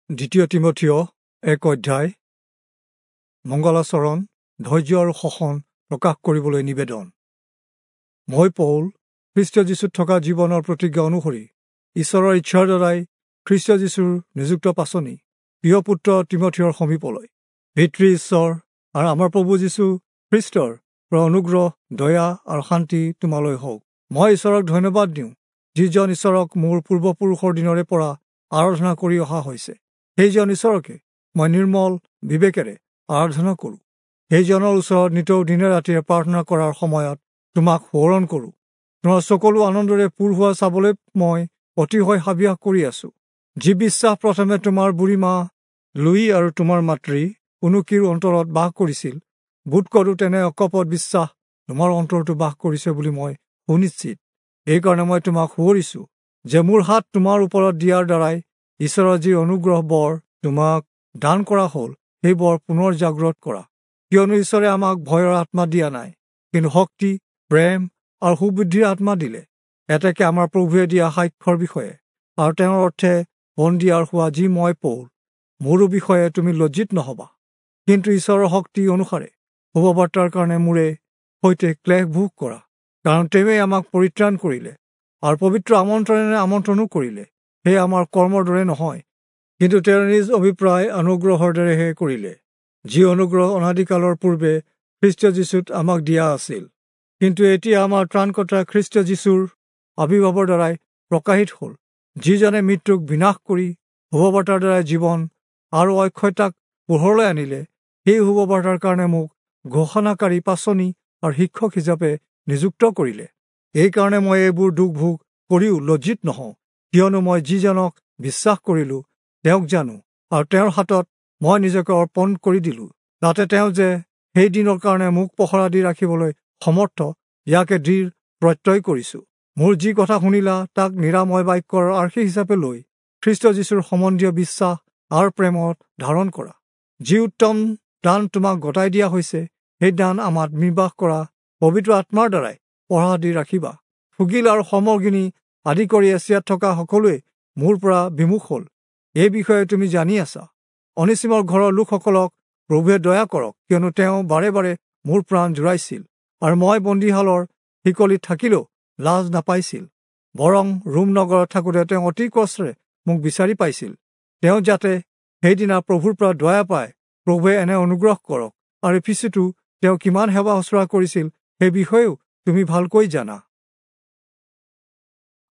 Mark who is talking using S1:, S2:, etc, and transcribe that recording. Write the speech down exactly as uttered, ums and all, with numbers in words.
S1: দ্বিতীয় তীমথিয় এক অধ্যায়। মংগলাচৰণ, ধৈৰ্য আৰু শোষণ প্ৰকাশ কৰিবলৈ নিবেদন। মই পৌল, খ্ৰীষ্ট যীশুত থকা জীৱনৰ প্ৰতিজ্ঞা অনুসৰি ঈশ্বৰৰ ইচ্ছাৰ দ্বাৰাই খ্ৰীষ্ট যীশুৰ নিযুক্ত পাচনি প্ৰিয় পুত্ৰ তীমথিয়ৰ সমীপলৈ, পিতৃ ঈশ্বৰ আৰু আমাৰ প্ৰভু যীশু খ্ৰীষ্টৰ পৰা অনুগ্ৰহ, দয়া আৰু শান্তি তোমালৈ হওক। মই ঈশ্বৰক ধন্যবাদ দিওঁ, যিজন ঈশ্বৰক মোৰ পূৰ্বপুৰুষৰ দিনৰে পৰা আৰাধনা কৰি অহা হৈছে, সেইজন ঈশ্বৰকে মই নিৰ্মল বিবেকেৰে আৰাধনা কৰোঁ। সেইজনৰ ওচৰত নিতৌ দিনে ৰাতিয়ে প্ৰাৰ্থনা কৰাৰ সময়ত তোমাক সোঁৱৰণ কৰোঁ। তোমাৰ সকলো আনন্দৰে পূৰ হোৱা চাবলৈ মই অতিশয় হাবিয়াস কৰি আছোঁ। যি বিশ্বাস প্ৰথমে তোমাৰ বুঢ়ীমা লুই আৰু তোমাৰ মাতৃ উনুকিৰ অন্তৰত বাস কৰিছিল, বোধ কৰোঁ তেনে অকপট বিশ্বাস তোমাৰ অন্তৰতো বাস কৰিছে বুলি মই সুনিশ্চিত। এইকাৰণে মই তোমাক সোঁৱৰিছোঁ যে মোৰ হাত তোমাৰ ওপৰত দিয়াৰ দ্বাৰাই ঈশ্বৰৰ যি অনুগ্ৰহ বৰ তোমাক দান কৰা হ'ল, সেই বৰ পুনৰ জাগ্ৰত কৰা। কিয়নো ঈশ্বৰে আমাক ভয়ৰ আত্মা দিয়া নাই, কিন্তু শক্তি, প্ৰেম আৰু সুবুদ্ধিৰ আত্মা দিলে। এতেকে আমাৰ প্ৰভুৱে দিয়া সাক্ষ্যৰ বিষয়ে আৰু তেওঁৰ অৰ্থে বন্দীয়াৰ হোৱা যি মই পৌল, মোৰো বিষয়ে তুমি লজ্জিত নহবা, কিন্তু ঈশ্বৰৰ শক্তি অনুসাৰে শুভবাৰ্তাৰ কাৰণে মোৰে সৈতে ক্লেশ ভোগ কৰা। কাৰণ তেওঁৱেই আমাক পৰিত্ৰাণ কৰিলে আৰু পবিত্ৰ আমন্ত্ৰণেৰে আমন্ত্ৰণো কৰিলে। সেয়ে আমাৰ কৰ্মৰ দৰে নহয়, কিন্তু তেওঁৰ নিজ অভিপ্ৰায় অনুগ্ৰহৰ দৰেহে কৰিলে, যি অনুগ্ৰহ অনাদিকালৰ পূৰ্বে খ্ৰীষ্ট যীশুত আমাক দিয়া আছিল, কিন্তু এতিয়া আমাৰ ত্ৰাণকৰ্তা খ্ৰীষ্ট যীশুৰ আৱিৰ্ভাৱৰ দ্বাৰাই প্ৰকাশিত হ'ল, যিজনে মৃত্যুক বিনাশ কৰি শুভবাৰ্তাৰ দ্বাৰাই জীৱন আৰু অক্ষয়তাক পোহৰলৈ আনিলে। সেই শুভবাৰ্তাৰ কাৰণে মোক ঘোষণাকাৰী, পাচনি আৰু শিক্ষক হিচাপে নিযুক্ত কৰিলে। এইকাৰণে মই এইবোৰ দুখ ভোগ কৰিও লজ্জিত নহওঁ, কিয়নো মই যিজনক বিশ্বাস কৰিলোঁ তেওঁক জানো, আৰু তেওঁৰ হাতত মই নিজকে অৰ্পণ কৰি দিলোঁ, যাতে তেওঁ যে সেই দিনৰ কাৰণে মোক পহৰা দি ৰাখিবলৈ সমৰ্থ, ইয়াকে দৃঢ় প্ৰত্যয় কৰিছোঁ। মোৰ যি কথা শুনিলা তাক নিৰাময় বাক্যৰ আৰ্হি হিচাপে লৈ খ্ৰীষ্ট যীশুৰ সম্বন্ধীয় বিশ্বাস আৰু প্ৰেমত ধাৰণ কৰা। যি উত্তম দান তোমাক গতাই দিয়া হৈছে, সেই দান আমাত নিৰ্বাস কৰা পবিত্ৰ আত্মাৰ দ্বাৰাই পহৰা দি ৰাখিবা। ফুগিল আৰু সমৰ্গিনী আদি কৰি এছিয়াত থকা সকলোৱে মোৰ পৰা বিমুখ হ'ল, এই বিষয়ে তুমি জানি আছা। অনিচিমৰ ঘৰৰ লোকসকলক প্ৰভুৱে দয়া কৰক, কিয়নো তেওঁ বাৰে বাৰে মোৰ প্ৰাণ জোৰাইছিল, আৰু মই বন্দীশালৰ শিকলিত থাকিলেও লাজ নাপাইছিল, বৰং ৰোম নগৰত থাকোঁতে তেওঁ অতি কষ্টৰে মোক বিচাৰি পাইছিল। তেওঁ যাতে সেইদিনা প্ৰভুৰ পৰা দয়া পায়, প্ৰভুৱে এনে অনুগ্ৰহ কৰক। আৰু পিছতো তেওঁ কিমান সেৱা শুশ্ৰূষা কৰিছিল সেই বিষয়েও তুমি ভালকৈ জানা।